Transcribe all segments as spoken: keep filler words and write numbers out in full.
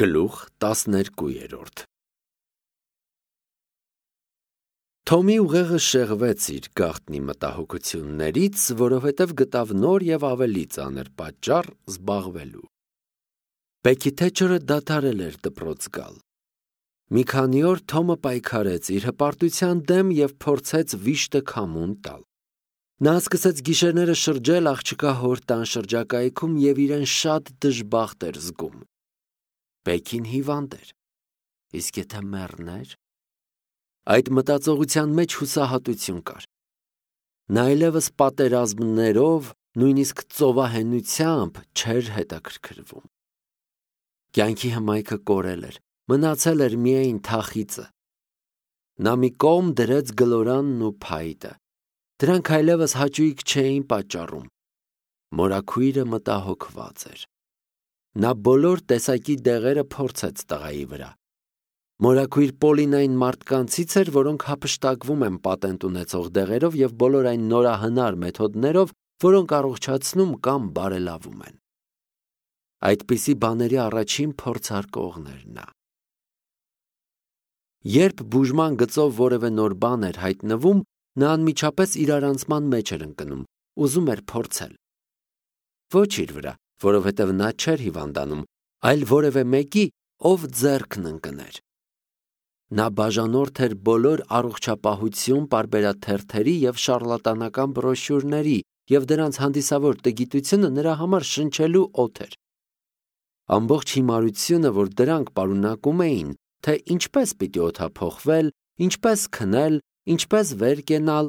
Գլուխ տասներկու Թոմի ուղեղը շեղվեց իր գաղտնի մտահոգություններից, որովհետև գտավ նոր և ավելի ծանր պատճառ զբաղվելու։ Բեքի Թեչերը դադարել էր դպրոց գալ։ Մի քանի օր Թոմը պայքարեց իր հպարտության դեմ և փորձեց վիշտը քամուն տալ։ Նա սկսեց գիշերները շրջել աղջկա հոր տան շրջակայքում և իրեն շատ դժբախտ էր զգում։ Բեքին հիվանդ էր, իսկ եթե մեռներ։ Այդ մտածողության մեջ հուսահատություն կար։ Նա այլևս պատերազմներով, նույնիսկ ծովահենությամբ չէր հետաքրքրվում։ Կյանքի հմայքը կորել էր, մնացել էր միայն թախիծը։ Նա մի կողմ դրեց գլորանն ու փայտը։ Դրանք այլևս հաճույք չէին պատճառում։ Մորաքույրը մտահոգված էր։ Նա բոլոր տեսակի դեղերը փորձեց տղայի վրա։ Մորաքույր Պոլին այն մարդկանցից էր, որոնք հափշտակվում են պատենտ ունեցող դեղերով և բոլոր այն նորահնար մեթոդներով, որոնք առողջացնում կամ բարելավում են։ Այդպիսի բաների առաջին փորձարկողն էր նա։ Երբ բուժման գծով որևէ նոր բան էր հայտնվում, նա անմիջապես իրարանցման մեջ էր ընկնում, ուզում էր փորձել։ Ոչ իր վրա, որովհետև նա չէր հիվանդանում, այլ որևէ մեկի, ով ձեռքն ընկներ։ Նա բաժանորդ էր բոլոր առողջապահություն պարբերաթերթերի և շառլատանական բրոշյուրների, և դրանց հանդիսավոր տգիտությունը նրա համար շնչելու օդ էր։ Ամբողջ հիմարությունը, որ դրանք պարունակում էին, թե ինչպես պիտի օդափոխվել, ինչպես քնել, ինչպես վեր կենալ,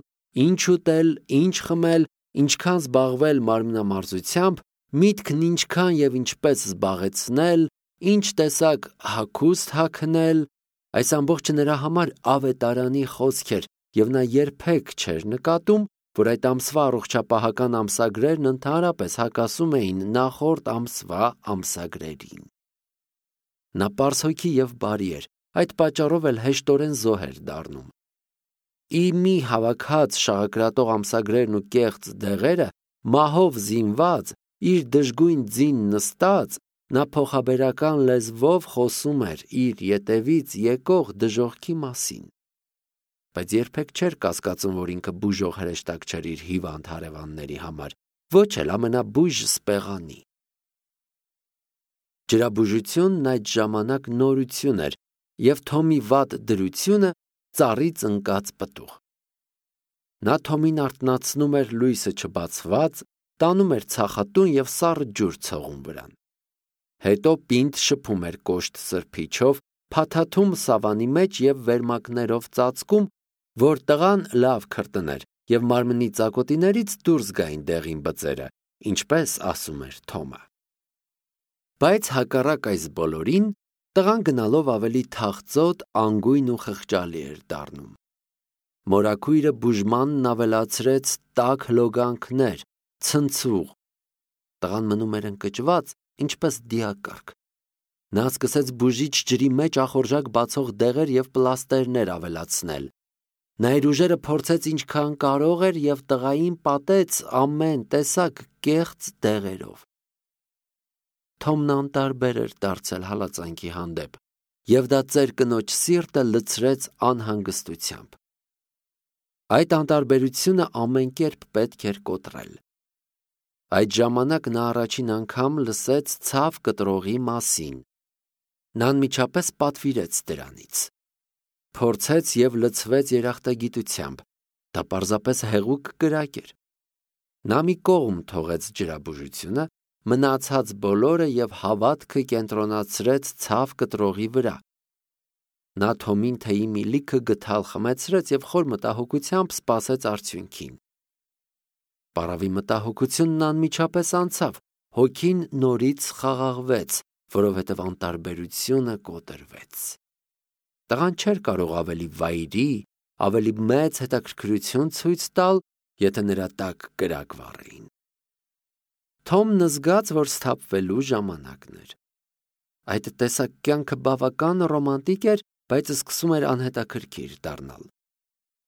ինչ ուտել, ինչ խմել, ինչքան զբաղվել մարմնամարզությամբ, միտքն ինչքան և ինչպես զբաղեցնել, ինչ տեսակ հագուստ հագնել, այս ամբողջը նրա համար ավետարանի խոսք էր, և նա երբեք չէր նկատում, որ այդ ամսվա առողջապահական ամսագրերն ընդհանրապես հակասում էին նախորդ ամսվա ամսագրերին։ Նա պարզհոգի և բարի էր, այդ պատճառով էլ հեշտորեն զոհ էր դառնում։ Ի մի հավաքած շաղակրատող ամսագրերն ու կեղծ դեղերը, մահով զինված, իր դժգույն ձին նստած, նա փոխաբերական լեզվով խոսում էր իր ետևից եկող դժոխքի մասին։ Բայց երբեք չէր կասկածում, որ ինքը բուժող հրեշտակ չէր իր հիվանդ հարևանների համար, ոչ էլ ամենաբույժ սպեղանի։ Ջրաբուժությունն այդ ժամանակ նորություն էր, և Թոմի վատ դրությունը ծառից ընկած պտուղ։ Նա Թոմին արթնացնում էր լույսը չբացված, տանում էր ցախատուն և սառը ջուր ցողուն վրան։ Հետո պինդ շփում էր կոշտ սրբիչով, փաթաթում սավանի մեջ և վերմակներով ծածկում, որ տղան լավ քրտներ և մարմնի ծակոտիներից դուրս գային դեղին բծերը, ինչպես ասում էր Թոմը։ Բայց հակառակ այս բոլորին, տղան գնալով ավելի թախծոտ, անգույն ու խղճալի էր դառնում։ Մորաքույրը բուժմանն ավելացրեց տաք լոգանքներ, ցնցուղ։ Տղան մնում էր ընկճված, ինչպես դիակառք։ Նա սկսեց բուժիչ ջրի մեջ ախորժակ բացող դեղեր և պլաստերներ ավելացնել։ Նա իր ուժերը փորձեց ինչքան կարող էր և տղային պատեց ամեն տեսակ կեղծ դեղերով։ Թոմն անտարբեր էր դարձել հալածանքի հանդեպ, և դա ծեր կնոջ սիրտը լցրեց անհանգստությամբ։ Այդ անտարբերությունը ամեն կերպ պետք էր կոտրել։ Այդ ժամանակ նա առաջին անգամ լսեց ցավ կտրողի մասին։ Նա անմիջապես պատվիրեց դրանից։ Փորձեց և լցվեց երախտագիտությամբ, դա պարզապես հեղուկ կրակ էր։ Նա մի կողմ թողեց ջրաբուժությունը, մնացած բոլորը և հավատքը կենտրոնացրեց ցավ կտրողի վրա։ Նա Թոմին թեյի մի լիքը գդալ խմեցրեց և խոր մտահոգությամբ սպասեց արդյունքին։ Պառավի մտահոգությունն անմիջապես անցավ, հոգին նորից խաղաղվեց, որովհետև անտարբերությունը կոտրվեց։ Տղան չէր կարող ավելի վայրի, ավելի մեծ հետաքրքրություն ցույց տալ, եթե նրա տակ կրակ վառեին։ Թոմն զգաց, որ սթափվելու ժամանակն էր։ Այդ տեսակ կյանքը բավական ռոմանտիկ էր, բայց սկսում էր անհետաքրքիր դառնալ։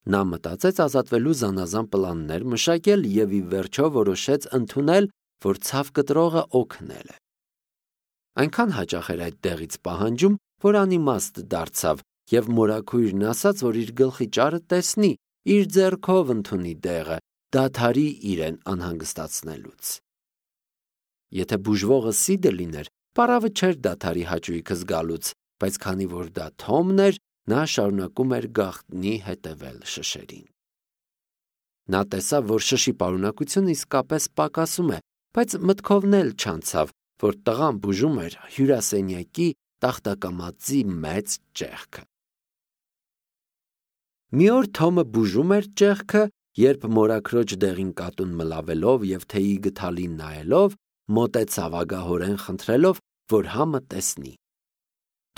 Նա մտածեց ազատվելու զանազան պլաններ մշակել և ի վերջո որոշեց ընդունել, որ ցավ կտրողը օգնել է։ Այնքան հաճախ էր այդ տեղից պահանջում, որ անիմաստ դարձավ, եւ մորաքույրն ասաց, որ իր գլխի ճարը տեսնի, իր ձեռքով ընդունի դեղը, դադարի իրեն անհանգստացնելուց։ Եթե բուժվողը Սիդը լիներ, պարավը չէր դադարի հաճույքը զգալուց, բայց քանի որ դա Թոմն էր, նա շարունակում էր գաղտնի հետևել շշերին։ Նա տեսավ, որ շշի պարունակությունը իսկապես պակասում է, բայց մտքովն էլ չանցավ, որ տղան բուժում էր հյուրասենյակի տախտակամածի մեծ ճեղքը։ Մի օր Թոմը բուժում էր ճեղքը, երբ մորաքրոջ դեղին կատուն մլավելով եւ թեյի գթալին նայելով, մոտեցավ ագահորեն խնդրելով, որ համը տեսնի։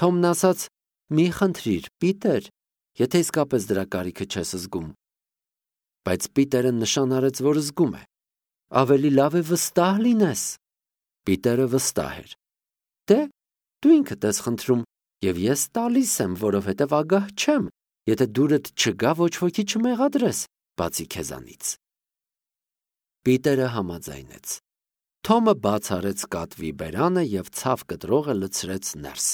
Թոմն ասաց. «Մի խնդրիր, Պիտեր, եթե իսկապես դրա կարիքը չես զգում»։ Բայց Պիտերը նշան արեց, որ զգում է։ «Ավելի լավ է վստահ լինես»։ Պիտերը վստահ էր։ «Դե, դու ինքդ ես խնդրում, եւ ես տալիս եմ, որովհետեւ ագահ չեմ, եթե դուրդ չգա ոչ ոքի չմեղադրես, բացի քեզանից»։ Պիտերը համաձայնեց։ Թոմը բաց արեց կատվի բերանը եւ ցավ կտրողը լցրեց ներս։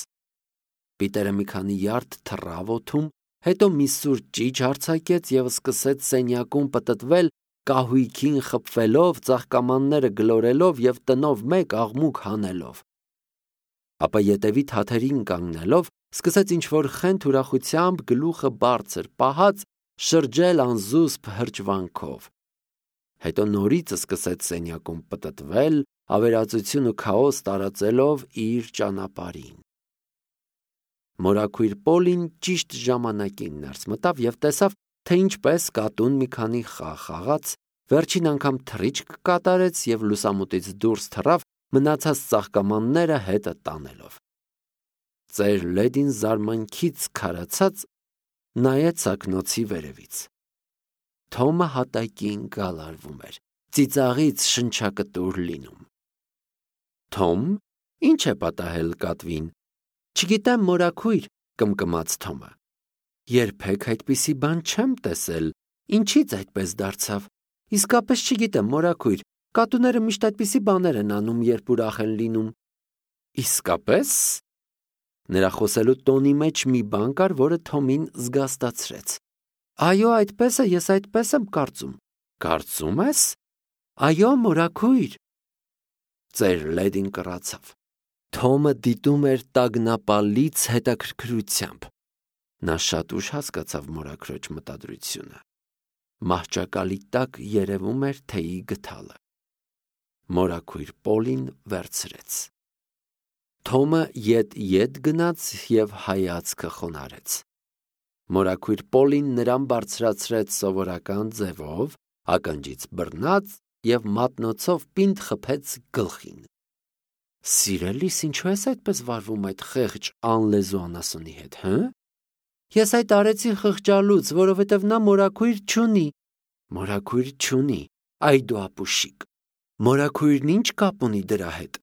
Պիտերը մի քանի յարդ թռավ օդում, հետո մի սուր ճիչ արձակեց եւ սկսեց սենյակում պտտվել, կահույքին խփվելով, ծաղկամանները գլորելով եւ տնով մեկ աղմուկ հանելով։ Ապա ետևի թաթերին կանգնելով, սկսեց ինչ-որ խենթ ուրախությամբ գլուխը բարձր պահած շրջել անզուսպ հրճվանքով։ Հետո նորից սկսեց սենյակում պտտվել, ավերածություն ու քաոս տարածելով իր ճանապարհին։ Մորաքույր Պոլին ճիշտ ժամանակին ներս մտավ եւ տեսավ, թե ինչպես կատուն մի քանի խաղ խաղաց, վերջին անգամ թռիչք կատարեց եւ լուսամուտից դուրս թռավ, մնացած ծաղկամանները հետը տանելով։ Ծեր Լեդին զարմանքից քարացած նայեց ակնոցի վերևից։ Թոմը հատակին գալարվում էր, ծիծաղից շնչակտուր լինում։ Թոմ, ի՞նչ է պատահել կատվին։ Չգիտեմ, մորաքույր, կմկմաց Թոմը։ Երբեք այդպիսի բան չեմ տեսել, ինչից այդպես դարձավ։ Իսկապես չգիտեմ, մորաքույր, կատուները միշտ այդպիսի բաներ են անում, երբ ուրախ են լինում։ Իսկապես։ Նրա խոսելու տոնի մեջ մի բան կար, որը Թոմին զգաստացրեց։ Այո, այդպես է, ես այդպես եմ կարծում։ Կարծում ես։ Այո, մորաքույր։ Ծեր Լեդին կռացավ։ Թոմը դիտում էր տագնապալից հետաքրքրությամբ։ Նա շատ ուշ հասկացավ մորաքրոջ մտադրությունը։ Մահճակալի տակ երևում էր թեյի գթալը։ Մորաքույր Պոլին վերցրեց։ Թոմը ետ-ետ գնաց եւ հայացքը խոնարհեց։ Մորաքույր Պոլին նրան բարձրացրեց սովորական ձևով, ականջից բռնած եւ մատնոցով պինդ խփեց գլխին։ Սիրելիս, ինչու ես այդպես վարվում այդ խեղճ անլեզու անասունի հետ, հը։ Ես այդ արեցի խղճալուց, որովհետև նա մորաքույր չունի։ Մորաքույր չունի, այդուապուշիկ։ Մորաքույրն ինչ կապ ունի դրա հետ։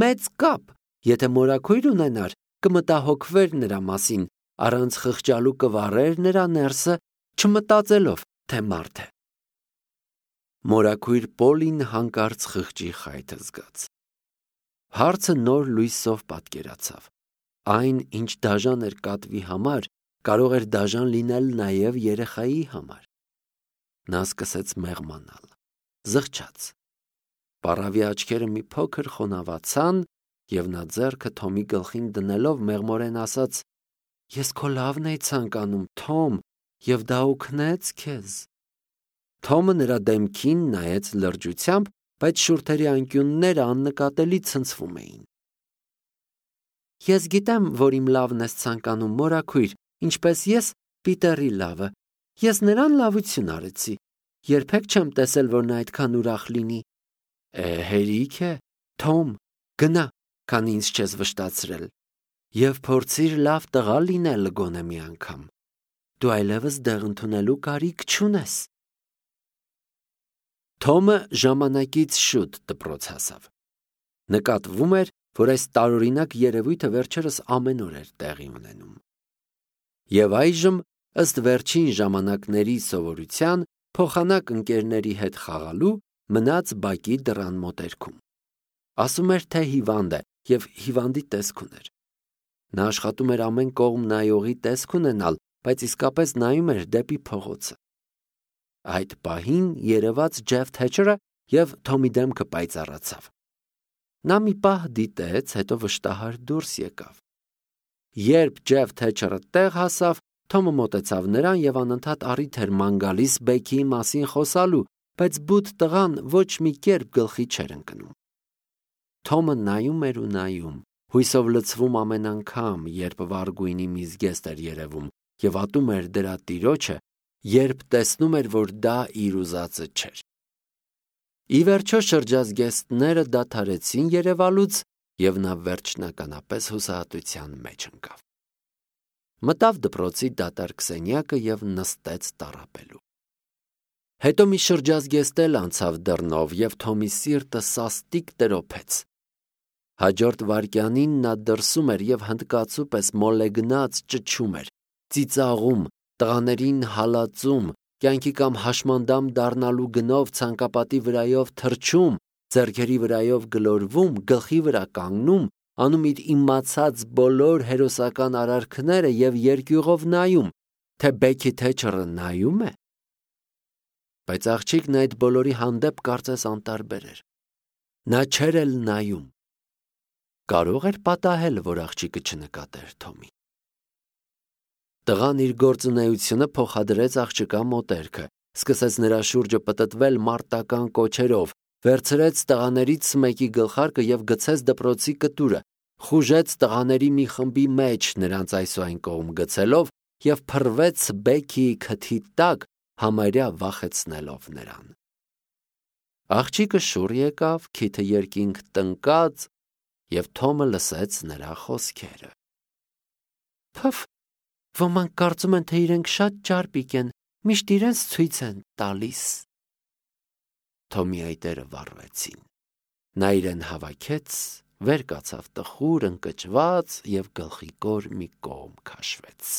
Մեծ կապ, եթե մորաքույր ունենար, կմտահոգվեր նրա մասին, առանց խղճալու կվառեր նրա ներսը, չմտածելով, թե մարդ է։ Մորաքույր Պոլին հանկարծ խղճի խայթը զգաց։ Հարցը նոր լույսով պատկերացավ։ Այն, ինչ դաժան էր կատվի համար, կարող էր դաժան լինել նաև երեխայի համար։ Նա սկսեց մեղմանալ, զղջաց։ Պառավի աչքերը մի փոքր խոնավացան, եւ նա ձեռքը Թոմի գլխին դնելով մեղմորեն ասաց. Ես քո լավն էի ցանկանում, Թոմ, եւ դա օգնեց քեզ։ Թոմը նրա դեմքին նայեց լրջությամբ, բայց շուրթերի անկյունները աննկատելի ցնցվում էին։ Ես գիտեմ, որ իմ լավն ես ցանկանում, մորաքույր, ինչպես ես Պիտերի լավը։ Ես նրան լավություն արեցի։ Երբեք չեմ տեսել, որ նա այդքան ուրախ լինի։ Է, հերիք է, Թոմ, գնա, քան ինձ չես վշտացրել, եւ փորձիր լավ տղա լինել գոնե մի անգամ։ Դու այլևս դեղ ընդունելու կարիք չունես։ Թոմը ժամանակից շուտ դպրոց հասավ։ Նկատվում էր, որ այս տարօրինակ երևույթը վերջերս ամեն օր էր տեղի ունենում։ Եվ այժմ, ըստ վերջին ժամանակների սովորության, փոխանակ ընկերների հետ խաղալու, մնաց բակի դռան մոտերքում։ Ասում էր, թե հիվանդ է, և հիվանդի տեսք ուներ։ Նա աշխատում էր ամեն կողմ նայողի տեսք ունենալ, բայց իսկապես նայում էր դեպի փողոցը։ Այդ պահին երևաց Ջեֆ Թեչերը և Թոմի դեմքը պայծառացավ։ Նա մի պահ դիտեց, հետո վշտահար դուրս եկավ։ Երբ Ջեֆ Թեչերը տեղ հասավ, Թոմը մոտեցավ նրան և անընդհատ առիթ էր ման գալիս Բեքիի մասին խոսալու, բայց բութ տղան ոչ մի կերպ գլխի չէր ընկնում։ Թոմը նայում էր ու նայում, հույսով լցվում ամեն անգամ, երբ վառ գույնի մի զգեստ էր երևում, և ատում էր դրա տիրոջը, երբ տեսնում էր, որ դա իր ուզածը չէր։ Ի վերջո շրջազգեստները դադարեցին երևալուց, և նա վերջնականապես հուսահատության մեջ ընկավ։ Մտավ դպրոցի դատարկ սենյակը և նստեց տառապելու։ Հետո մի շրջազգեստ էլ անցավ դռնով, և Թոմի սիրտը սաստիկ տրոփեց։ Հաջորդ վայրկյանին նա դրսում էր և հնդկացու պես մոլեգնած ճչում էր, ծիծաղում, տղաներին հալածում, կյանքի կամ հաշմանդամ դառնալու գնով ցանկապատի վրայով թռչում, ձեռքերի վրայով գլորվում, գլխի վրա կանգնում, անում իր իմացած բոլոր հերոսական արարքները և երկյուղով նայում, թե Բեքի Թեչերը նայում է։ Բայց աղջիկն այդ բոլորի հանդեպ կարծես անտարբեր էր։ Նա չէր էլ նայում։ Կարո՞ղ էր պատահել, որ աղջիկը չնկատեր Թոմին։ Տղան իր գործունեությունը փոխադրեց աղջկա մոտերքը, սկսեց նրա շուրջը պտտվել մարտական կոչերով, վերցրեց տղաներից մեկի գլխարկը և գցեց դպրոցի կտուրը, խուժեց տղաների մի խմբի մեջ, նրանց այս ու այն կողմ գցելով, և փռվեց Բեքիի քթի տակ, համարյա վախեցնելով նրան։ Աղջիկը շուռ եկավ, քիթը երկինք տնկած, և Թոմը լսեց նրա խոսքերը. «Փը՛ֆ, ոմանք կարծում են, թե իրենք շատ ճարպիկ են, միշտ իրենց ցույց են տալիս»։ Թոմի այտերը վառվեցին։ Նա իրեն հավաքեց, վեր կացավ տխուր, ընկճված և գլխիկոր մի կողմ քաշվեց։